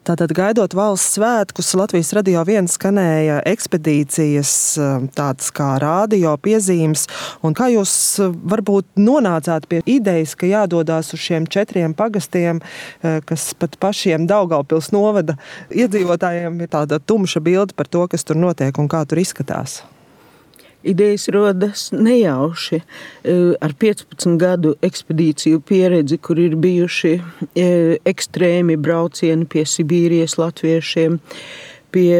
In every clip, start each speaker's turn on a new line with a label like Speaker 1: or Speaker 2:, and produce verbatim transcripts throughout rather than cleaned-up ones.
Speaker 1: Tātad gaidot valsts svētkus, Latvijas Radio viens skanēja ekspedīcijas tādas kā rādio piezīmes. Un kā jūs varbūt nonācāt pie idejas, ka jādodās uz šiem četriem pagastiem, kas pat pašiem Daugavpils novada iedzīvotājiem ir tāda tumša bilde par to, kas tur notiek un kā tur izskatās?
Speaker 2: Idejas rodas nejauši ar piecpadsmit gadu ekspedīciju pieredzi, kur ir bijuši ekstrēmi braucieni pie Sibīrijas latviešiem, pie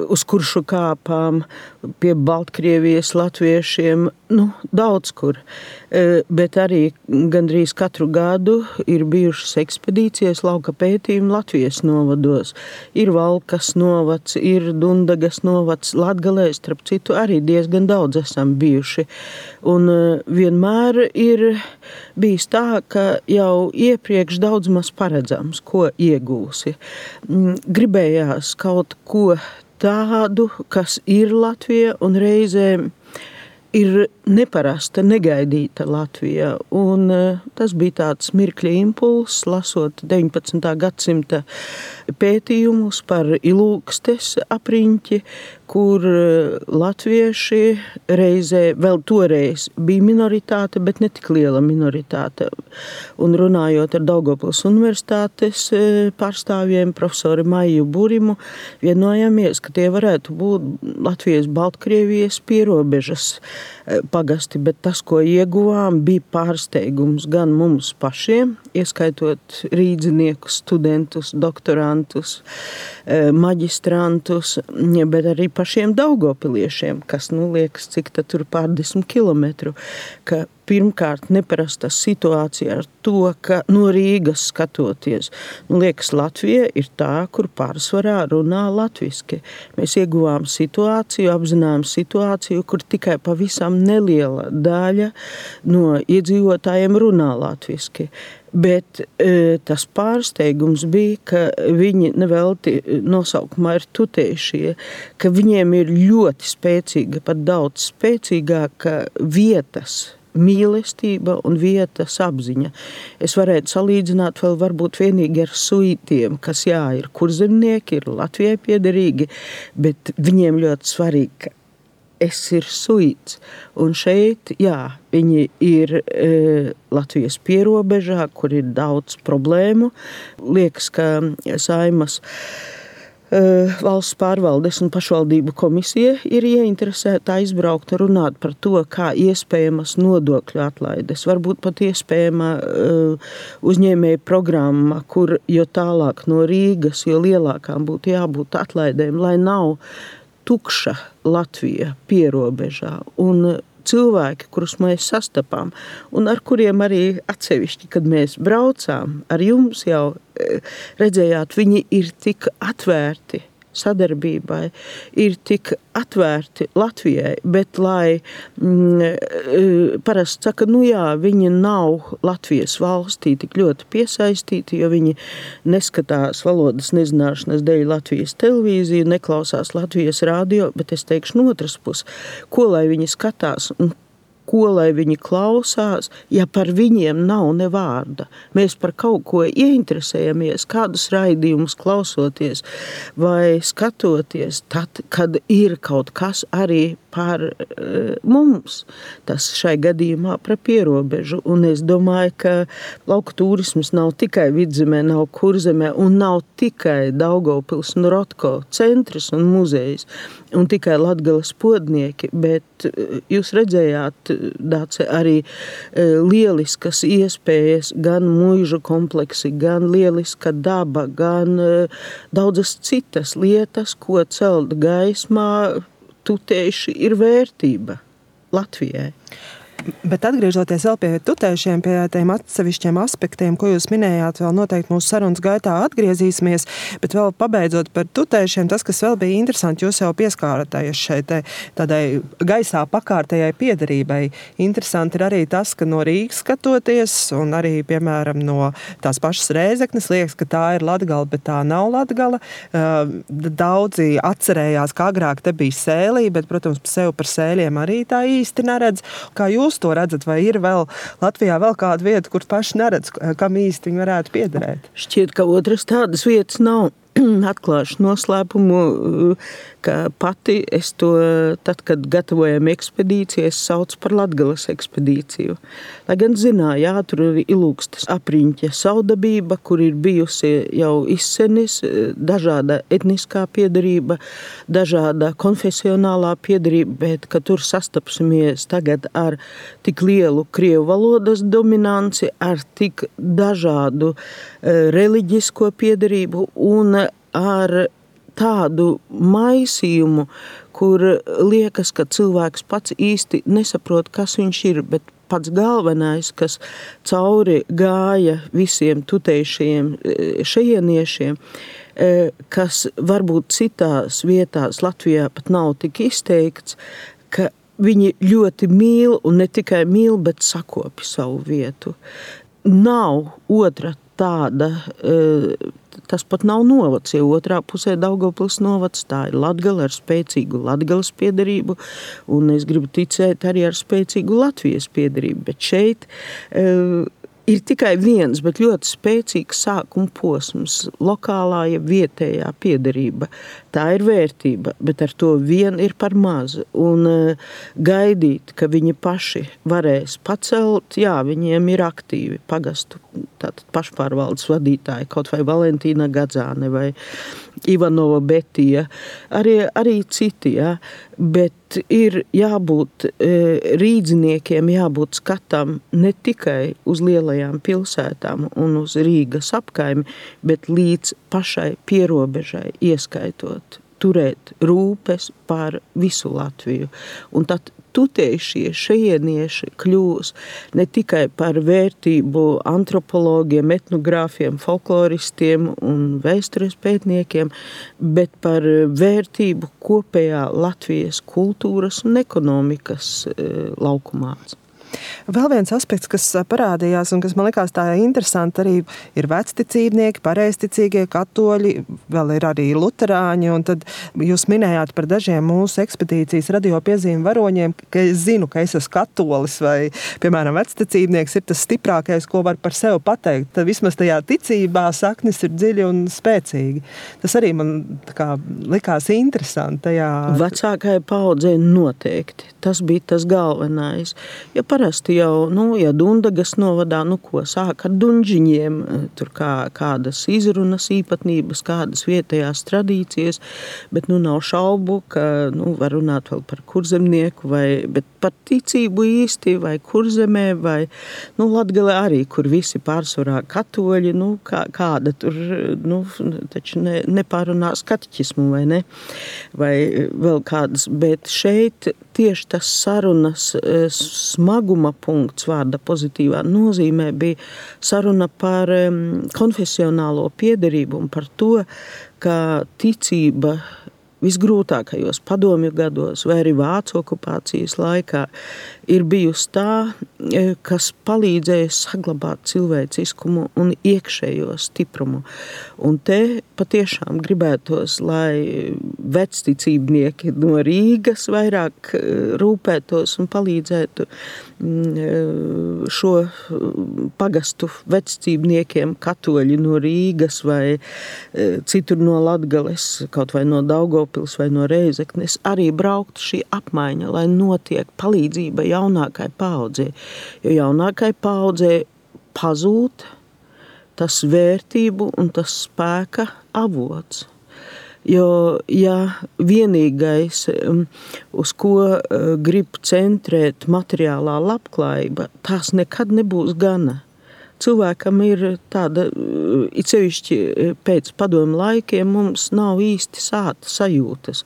Speaker 2: uz kuršu kāpām, pie Baltkrievijas latviešiem, nu, daudz kur. Bet arī gandrīz katru gadu ir bijušas ekspedīcijas lauka pētījumi Latvijas novados. Ir Valkas novads, ir Dundagas novads, Latgalē, starp citu, arī diezgan daudz esam bijuši. Un vienmēr ir bijis tā, ka jau iepriekš daudz maz paredzams, ko iegūsi. Gribējās kaut ko tādu, kas ir Latvija un reizēm ir neparasta, negaidīta Latvijā. Un tas bija tāds mirkļa impulss, lasot deviņpadsmitā gadsimta pētījumus par Ilūgstes apriņķi, kur latvieši reizē, vēl toreiz bija minoritāte, bet ne tik liela minoritāte. Un runājot ar Daugavpils universitātes pārstāvjiem, profesori Maiju Burimu, vienojamies, ka tie varētu būt Latvijas Baltkrievijas pierobežas pagasti, bet tas, ko ieguvām, bija pārsteigums gan mums pašiem, ieskaitot rīdziniekus, studentus, doktorantus, maģistrantus, bet arī pašiem daugavpiliešiem, kas, nu, liekas, cik tad tur pārdesmit kilometru, ka pirmkārt neparasta situācija ar to, ka no Rīgas skatoties, nu, liekas, Latvija ir tā, kur pārsvarā runā latviski. Mēs ieguvām situāciju, apzinājām situāciju, kur tikai pavisam neliela daļa no iedzīvotājiem runā latviski. Bet e, tas pārsteigums bija, ka viņi nevelti nosaukumā ir tutējušie, ka viņiem ir ļoti spēcīga, pat daudz spēcīgāka vietas mīlestība un vietas apziņa. Es varētu salīdzināt vēl varbūt vienīgi ar suitiem, kas jā, ir kurzemnieki, ir Latvijai piederīgi, bet viņiem ļoti svarīgi, ka es ir suits. Un šeit, jā, viņi ir e, Latvijas pierobežā, kur ir daudz problēmu. Liekas, ka Saimas Valsts pārvaldes un pašvaldību komisija ir ieinteresēta aizbraukt un runāt par to, kā iespējamas nodokļu atlaides. Varbūt pat iespējama uzņēmēja programma, kur jo tālāk no Rīgas, jo lielākām būtu jābūt atlaidēm, lai nav tukša Latvija pierobežā. Un cilvēki, kurus mēs sastapām un ar kuriem arī atsevišķi, kad mēs braucām, ar jums jau redzējāt, viņi ir tik atvērti sadarbībai, ir tik atvērti Latvijai, bet lai mm, parasti saka, nu jā, viņi nav Latvijas valstī tik ļoti piesaistīti, jo viņi neskatās valodas nezināšanas dēļ Latvijas televīziju, neklausās Latvijas radio, bet es teikšu no otras puses, ko lai viņi skatās un ko lai viņi klausās, ja par viņiem nav ne vārda. Mēs par kaut ko ieinteresējamies, kādus raidījumus klausoties vai skatoties, tad, kad ir kaut kas arī par uh, mums, tas šai gadījumā par pierobežu. Un es domāju, ka lauku turisms nav tikai Vidzemē, nav Kurzemē un nav tikai Daugavpils un Rotko centrs un muzejs un tikai Latgales podnieki, bet uh, jūs redzējāt, Dāce, arī uh, lieliskas iespējas, gan muižu kompleksi, gan lieliska daba, gan uh, daudzas citas lietas, ko celt gaismā, tutējuši ir vērtība Latvijai.
Speaker 1: Bet atgriežoties vēl pie tutējušiem, pie tiem atsevišķiem aspektiem, ko jūs minējāt, vēl noteikti mūsu sarunas gaitā atgriezīsimies, bet vēl pabeidzot par tutējušiem, tas, kas vēl bija interesanti, jūs jau pieskāraties šeit tādai gaisā pakārtējai piederībai. Interesanti ir arī tas, ka no Rīgas skatoties, un arī, piemēram, no tās pašas Rēzeknes, liekas, ka tā ir Latgala, bet tā nav Latgala. Daudzi atcerējās, ka agrāk te bija Sēlī, bet, protams, sev par Sēļiem arī tā īsti neredz. Kā jūs to redzat, vai ir vēl Latvijā vēl kāda vieta, kur paši neredz, kam īsti viņi varētu piederēt?
Speaker 2: Šķiet, ka otras tādas vietas nav. atklāšu noslēpumu, ka pati es to, tad, kad gatavojam ekspedīciju, es saucu par Latgales ekspedīciju. Lai gan zināju, jā, tur ir Ilūgstes apriņķa saudabība, kur ir bijusi jau izsenis dažāda etniskā piedarība, dažāda konfesionālā piedarība, bet ka tur sastapsimies tagad ar tik lielu krievu valodas dominanci, ar tik dažādu reliģisko piedarību un ar tādu maisījumu, kur liekas, ka cilvēks pats īsti nesaprot, kas viņš ir, bet pats galvenais, kas cauri gāja visiem tutējušajiem šejieniešiem, kas varbūt citās vietās Latvijā pat nav tik izteikts, ka viņi ļoti mīl un ne tikai mīl, bet sakopi savu vietu. Nav otra tāda, tas pat nav novads, jo otrā pusē Daugavpils novads, tā ir Latgale ar spēcīgu Latgales piedarību, un es gribu ticēt arī ar spēcīgu Latvijas piedarību, bet šeit ir tikai viens, bet ļoti spēcīgs sākuma posms, lokālā ja vietējā piedarība. Tā ir vērtība, bet ar to vien ir par maz. Un gaidīt, ka viņi paši varēs pacelt, jā, viņiem ir aktīvi pagastu, tātad pašpārvaldes vadītāji, kaut vai Valentīna Gadzāne vai Ivanova Betija, arī, arī citi, jā, bet ir jābūt rīdziniekiem, jābūt skatam ne tikai uz lielajām pilsētām un uz Rīgas apkaimi, bet līdz pašai pierobežai ieskaitot, turēt rūpes par visu Latviju. Un tad tutējušie šejienieši kļūs ne tikai par vērtību antropologiem, etnogrāfiem, folkloristiem un vēstures pētniekiem, bet par vērtību kopējā Latvijas kultūras un ekonomikas laukumā.
Speaker 1: Vēl viens aspekts, kas parādījās un kas man likās tā interesanti, arī ir vecticībnieki, pareizticīgie katoļi, vēl ir arī luterāņi, un tad jūs minējāt par dažiem mūsu ekspedīcijas radio piezīmi varoņiem, ka es zinu, ka es esmu katolis vai, piemēram, vecticībnieks ir tas stiprākais, ko var par sevi pateikt. Tad vismaz tajā ticībā saknes ir dziļi un spēcīgi. Tas arī man tā kā likās interesanti tajā.
Speaker 2: Vecākai paudzei noteikti. Tas bija tas galvenais. Ja parasti jau, nu, ja Dundagas novadā, nu, ko sāk ar dunžiņiem, tur kā, kādas izrunas īpatnības, kādas vietējās tradīcijas, bet, nu, nav šaubu, ka, nu, var runāt vēl par kurzemnieku, vai, bet par ticību īsti, vai kurzemē, vai, nu, Latgale arī, kur visi pārsvarā katoļi, nu, kā, kāda tur, nu, taču ne, nepārunās kateķismu, vai ne, vai vēl kādas, bet šeit tieši tas sarunas smaguma punkts vārda pozitīvā nozīmē bija saruna par konfesionālo piederību un par to, ka ticība visgrūtākajos padomju gados vai arī vācu okupācijas laikā ir bijusi tā, kas palīdzēja saglabāt cilvēciskumu un iekšējo stiprumu. Un te patiešām gribētos, lai vecticībnieki no Rīgas vairāk rūpētos un palīdzētu šo pagastu vecticībniekiem, katoļi no Rīgas vai citur no Latgales, kaut vai no Daugavpils vai no Reizeknes, arī braukt šī apmaiņa, lai notiek palīdzība jaunākai paaudzei. Jo jaunākai paaudzei pazūd tas vērtību un tas spēka avots. Jo, ja vienīgais, uz ko grib centrēt materiālā labklājība, tās nekad nebūs gana. Cilvēkam ir tāda, it sevišķi pēc padomu laikiem, mums nav īsti sāta sajūtas.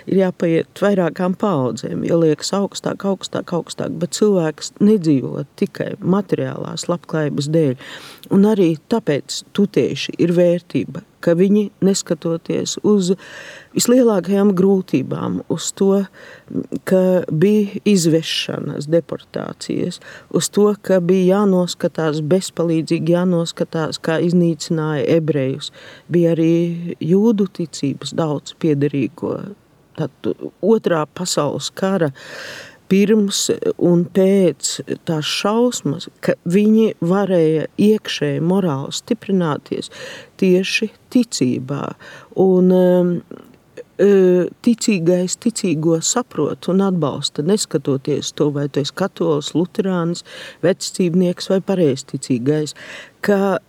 Speaker 2: Ir jāpaiet vairākām paaudzēm, jo liekas augstāk, augstāk, augstāk, bet cilvēks nedzīvo tikai materiālās labklājības dēļ. Un arī tāpēc tutējuši ir vērtība, ka viņi neskatoties uz vislielākajām grūtībām, uz to, ka bija izvešanas, deportācijas, uz to, ka bija jānoskatās bezpalīdzīgi, jānoskatās, kā iznīcināja ebrejus, bija arī jūdu ticības daudz piederīgo. Tad otrā pasaules kara pirms un pēc tās šausmas, ka viņi varēja iekšēji morāli stiprināties tieši ticībā. Un um, ticīgais ticīgo saprot un atbalsta, neskatoties to, vai tu esi katolis, luterānis, vecticībnieks vai pareizticīgais, ka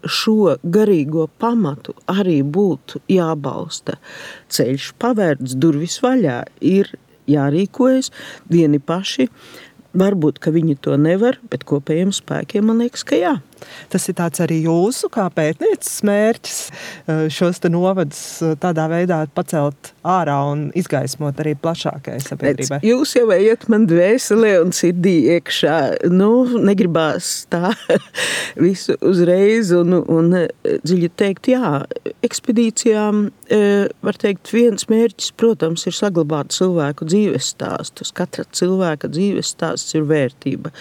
Speaker 2: šo garīgo pamatu arī būtu jābalsta. Ceļš pavērts, durvis vaļā, ir jārīkojas vieni paši. Varbūt, ka viņi to nevar, bet kopējiem spēkiem man liekas, ka jā.
Speaker 1: Tas ir tāds arī jūsu kā pētnieces mērķis šos te novadus tādā veidā pacelt ārā un izgaismot arī plašākai sabiedrībai.
Speaker 2: Jūs jau ejat man dvēselē un sirdī iekšā. Nu, negribās tā visu uzreiz un, un dziļi teikt, jā, ekspedīcijām var teikt, viens mērķis, protams, ir saglabāt cilvēku dzīves stāstus. Katra cilvēka dzīves stāsts ir vērtība.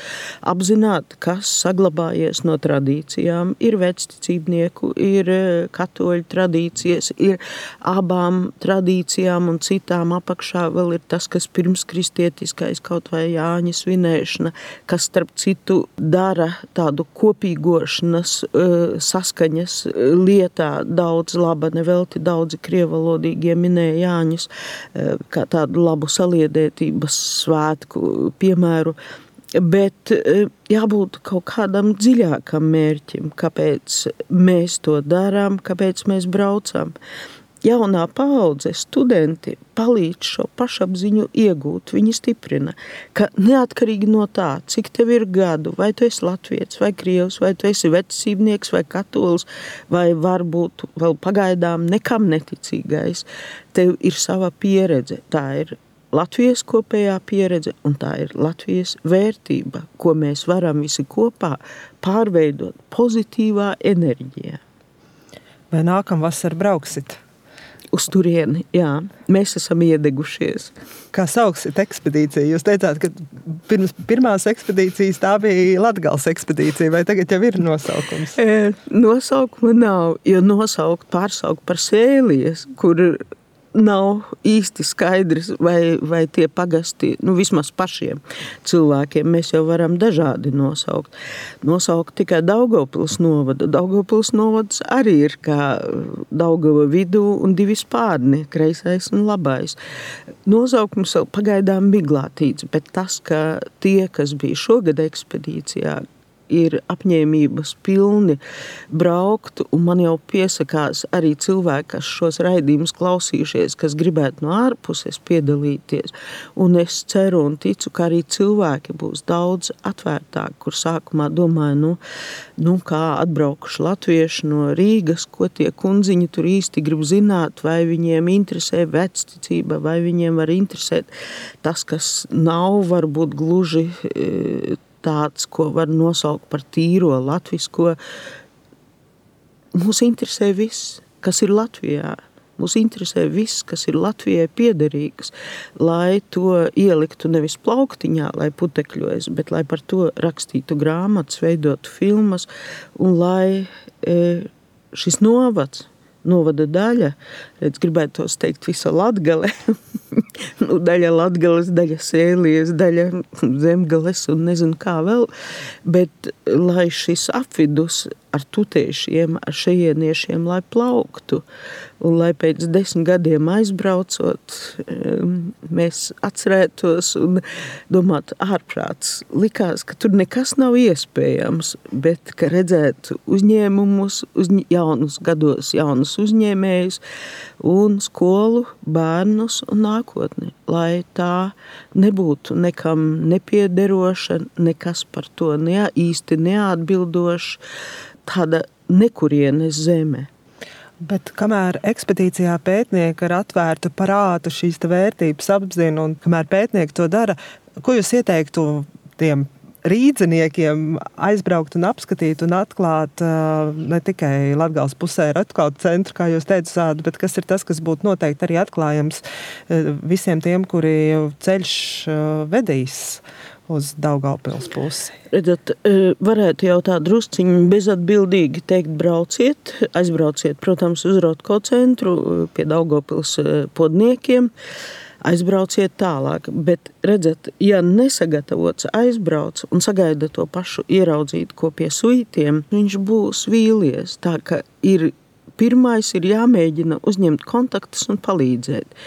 Speaker 2: Apzināt, kas saglabājies no tradīcijām, ir vecticībnieku, ir katoļu tradīcijas, ir abām tradīcijām un citām apakšā vēl ir tas, kas pirms kristietiskais kaut vai Jāņa svinēšana, kas starp citu dara tādu kopīgošanas saskaņas lietā daudz laba, nevelti daudzi krievalodīgie minēja Jāņus kā tādu labu saliedētības svētku piemēru. Bet jābūt kaut kādam dziļākam mērķim, kāpēc mēs to darām, kāpēc mēs braucam. Jaunā paudze, studenti palīdz šo pašapziņu iegūt, viņi stiprina, ka neatkarīgi no tā, cik tev ir gadu, vai tu esi latvietis, vai krievs, vai tu esi vecticībnieks, vai katolis, vai varbūt vēl pagaidām nekam neticīgais, tev ir sava pieredze, tā ir Latvijas kopējā pieredze, un tā ir Latvijas vērtība, ko mēs varam visi kopā pārveidot pozitīvā enerģijā.
Speaker 1: Vai nākamvasar brauksit?
Speaker 2: Uz turieni, jā. Mēs esam iedegušies.
Speaker 1: Kā sauksit ekspedīciju? Jūs teicāt, ka pirms pirmās ekspedīcijas tā bija Latgales ekspedīcija, vai tagad jau ir nosaukums?
Speaker 2: E, nosaukuma nav, jo nosaukt, pārsaukt par Sēlijas, kur nav īsti skaidrs, vai, vai tie pagasti, nu vismaz pašiem cilvēkiem, mēs jau varam dažādi nosaukt. Nosaukt tikai Daugavpils novadu. Daugavpils novads arī ir kā Daugava vidū un divi spārni, kreisais un labais. Nosaukums vēl pagaidām miglātīts, bet tas, ka tie, kas bija šogad ekspedīcijā, ir apņēmības pilni braukt, un man jau piesakās arī cilvēki, kas šos raidījumus klausījušies, kas gribētu no ārpuses piedalīties, un es ceru un ticu, ka arī cilvēki būs daudz atvērtāki, kur sākumā domāju, nu, nu kā atbraukuši latvieši no Rīgas, ko tie kundziņi tur īsti grib zināt, vai viņiem interesē vecticība, vai viņiem var interesēt tas, kas nav varbūt gluži tāds, ko var nosaukt par tīro latvisko. Mūs interesē viss, kas ir Latvijā. Mūs interesē viss, kas ir Latvijai piederīgs, lai to ieliktu nevis plauktiņā, lai putekļojas, bet lai par to rakstītu grāmatas, veidotu filmas, un lai e, šis novads, novada daļa, redz, gribētu tos teikt visa Latgale, nu, daļa Latgales, daļa Sēlijas, daļa Zemgales un nezinu kā vēl, bet lai šis apvidus ar tutēšiem, ar šejieniešiem, lai plauktu, un lai pēc desmit gadiem aizbraucot, mēs atcerētos un domātu ārprāts. Likās, ka tur nekas nav iespējams, bet ka redzētu uzņēmumus, uzņ... jaunus gados, jaunus uzņēmējus un skolu, bērnus un nākotni, lai tā nebūtu nekam nepiederoša, nekas par to ne, īsti neatbildoša, tāda nekurienes zeme.
Speaker 1: Bet kamēr ekspedīcijā pētnieki ar atvērtu prātu šīs vērtības apzina un kamēr pētnieki to dara, ko jūs ieteiktu tiem rīdziniekiem aizbraukt un apskatīt un atklāt uh, ne tikai Latgales pusē Ratkaut centru, kā jūs teicāt, bet kas ir tas, kas būtu noteikti arī atklājams uh, visiem tiem, kuri ceļš uh, vedīs uz Daugavpils pusi?
Speaker 2: Redzat, varētu jau tā drusciņi bezatbildīgi teikt, brauciet, aizbrauciet, protams, uz Ratkaut centru pie Daugavpils podniekiem, aizbrauciet tālāk. Bet, redzat, ja nesagatavots aizbrauc un sagaida to pašu ieraudzīt, ko pie suitiem, viņš būs vīlies. Tā ka ir, pirmais ir jāmēģina uzņemt kontaktus un palīdzēt,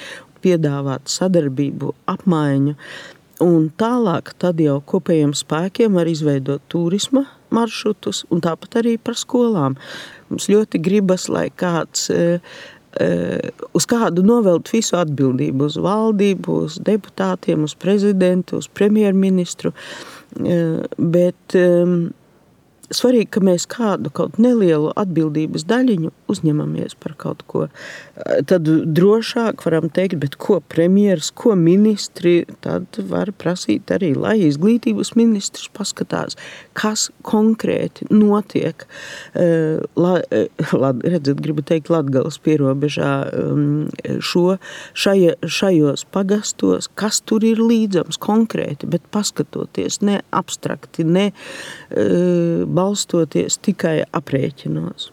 Speaker 2: piedāvāt sadarbību, apmaiņu. Un tālāk tad jau kopējiem spēkiem var izveidot turisma maršrutus un tāpat arī par skolām. Mums ļoti gribas, lai kāds e, e, uz kādu novelt visu atbildību, uz valdību, uz deputātiem, uz prezidentu, uz premjerministru, e, bet e, svarīgi, ka mēs kādu kaut nelielu atbildības daļiņu uzņemamies par kaut ko. Tad drošāk varam teikt, bet ko premjeras, ko ministri, tad var prasīt arī, lai izglītības ministrs paskatās, kas konkrēti notiek. La, la, redzat, gribu teikt Latgales pierobežā šo, šaja, šajos pagastos, kas tur ir līdzams konkrēti, bet paskatoties ne abstrakti, ne balstoties tikai aprēķinos.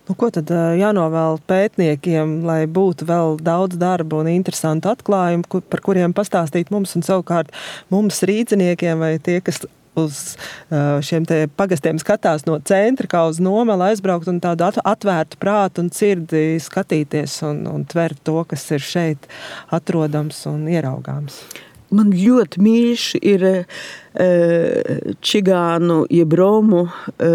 Speaker 1: Nu, ko tad jānovēl pētniekiem, lai būtu vēl daudz darba un interesantu atklājumu, par kuriem pastāstīt mums un savukārt mums rīdziniekiem vai tie, kas uz šiem te pagastiem skatās no centra, kā uz nomeli aizbraukt un tādu atvērtu prātu un sirdi skatīties un, un tvert to, kas ir šeit atrodams un ieraugāms.
Speaker 2: Man ļoti mīļš ir e, čigānu jeb romu e,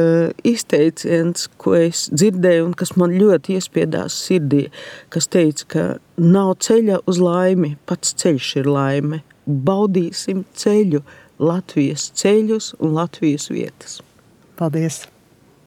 Speaker 2: izteiciens, ko es dzirdēju un kas man ļoti iespiedās sirdī, kas teica, ka nav ceļa uz laimi, pats ceļš ir laime. Baudīsim ceļu, Latvijas ceļus un Latvijas vietas.
Speaker 1: Paldies!